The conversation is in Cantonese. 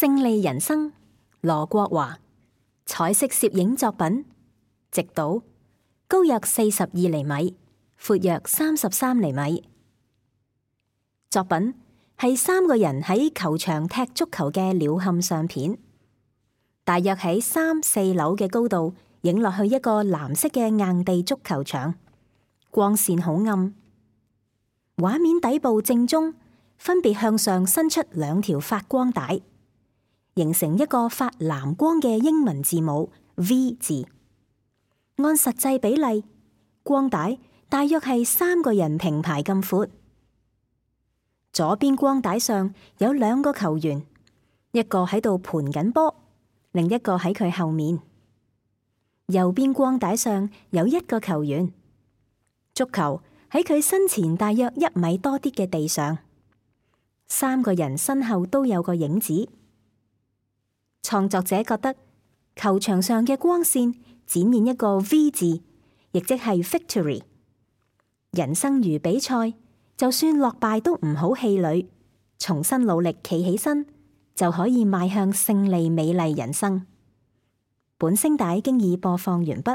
勝利人生，羅國華。彩色攝影作品，直島，高約42厘米，闊約33厘米。作品係3個人喺球場踢足球嘅鳥瞰相片，大約喺3、4樓嘅高度影落去一個藍色嘅硬地足球場，光線好暗。畫面底部正中分別向上伸出2條發光帶，形成一個發藍光嘅英文字母 V 字。按實際比例，光帶大約係3個人平排咁闊。左邊光帶上有2個球員，一個喺度盤緊波，另一個喺佢後面。右邊光帶上有1個球員，足球喺佢身前大約1米多啲嘅地上。3個人身後都有個影子。創作者覺得球場上嘅光線展現一個 V 字，亦即係 victory。人生如比賽，就算落敗都唔好氣餒，重新努力企起身，就可以邁向勝利美麗人生。本聲帶經已播放完畢。